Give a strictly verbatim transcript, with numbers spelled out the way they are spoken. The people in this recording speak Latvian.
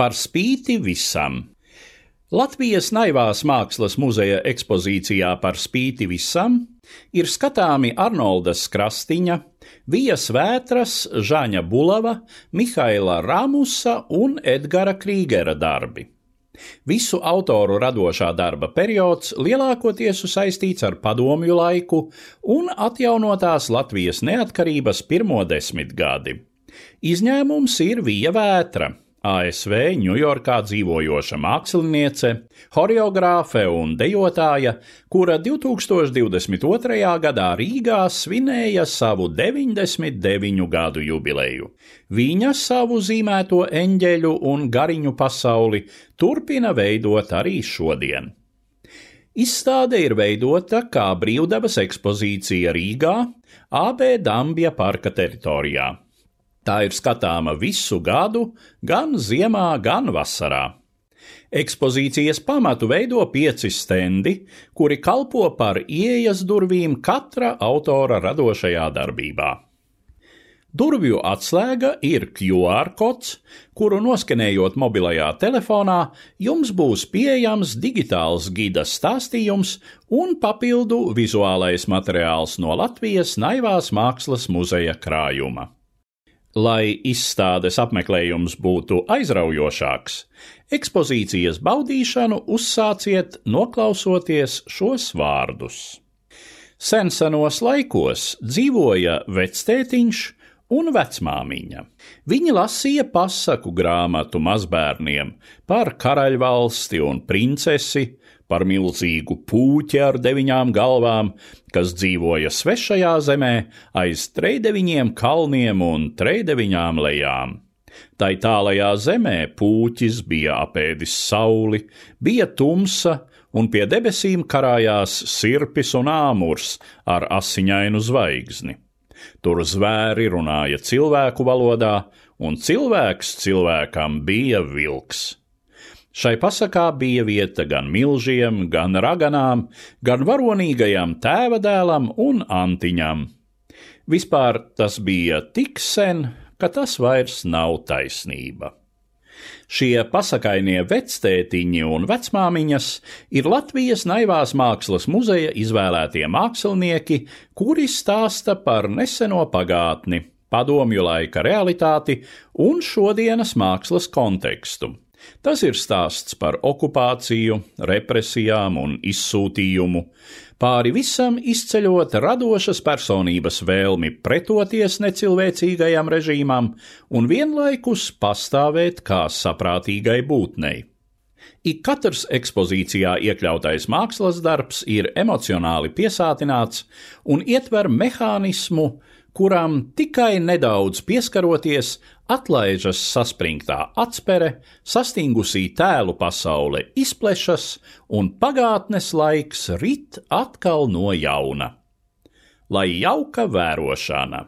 Par spīti visam. Latvijas Naivās mākslas muzeja ekspozīcijā Par spīti visam ir skatāmi Arnoldas Krastiņa, Vijas Vētras, Žaņa Bulava, Mihaila Ramusa un Edgara Krīgera darbi. Visu autoru radošā darba periods lielākoties saistīts ar padomju laiku un atjaunotās Latvijas neatkarības pirmo desmitgadi. Izņēmums ir Vija Vētra, A S V Ņujorkā dzīvojoša māksliniece, horeogrāfe un dejotāja, kura divtūkstoš divdesmit otrajā gadā Rīgā svinēja savu deviņdesmit deviņu gadu jubileju. Viņa savu zīmēto eņģeļu un gariņu pasauli turpina veidot arī šodien. Izstāde ir veidota kā brīvdabas ekspozīcija Rīgā, A B Dambja parka teritorijā. Tā ir skatāma visu gadu, gan ziemā, gan vasarā. Ekspozīcijas pamatu veido pieci stendi, kuri kalpo par ieejas durvīm katra autora radošajā darbībā. Durvju atslēga ir Q R kods, kuru noskenējot mobilajā telefonā, jums būs pieejams digitāls gida stāstījums un papildu vizuālais materiāls no Latvijas Naivās mākslas muzeja krājuma. Lai izstādes apmeklējums būtu aizraujošāks, ekspozīcijas baudīšanu uzsāciet noklausoties šos vārdus. Sensenos laikos dzīvoja vectētiņš un vecmāmiņa. Viņi lasīja pasaku grāmatu mazbērniem par karaļvalsti un princesi, par milzīgu pūķi ar deviņām galvām, kas dzīvoja svešajā zemē aiz trejdeviņiem kalniem un trejdeviņām lejām. Tai tālajā zemē pūķis bija apēdis sauli, bija tumsa, un pie debesīm karājās sirpis un āmurs ar asiņainu zvaigzni. Tur zvēri runāja cilvēku valodā, un cilvēks cilvēkam bija vilks. Šai pasakā bija vieta gan milžiem, gan raganām, gan varonīgajam tēvadēlam un antiņam. Vispār tas bija tik sen, ka tas vairs nav taisnība. Šie pasakainie vectētiņi un vecmāmiņas ir Latvijas Naivās mākslas muzeja izvēlētie mākslinieki, kuri stāsta par neseno pagātni, padomju laika realitāti un šodienas mākslas kontekstu. Tas ir stāsts par okupāciju, represijām un izsūtījumu, pāri visam izceļot radošas personības vēlmi pretoties necilvēcīgajam režīmam un vienlaikus pastāvēt kā saprātīgai būtnei. Ik katrs ekspozīcijā iekļautais mākslas darbs ir emocionāli piesātināts un ietver mehānismu, kuram tikai nedaudz pieskaroties atlaižas saspringtā atspere, sastingusī tēlu pasaule izplešas un pagātnes laiks rit atkal no jauna. Lai jauka vērošana!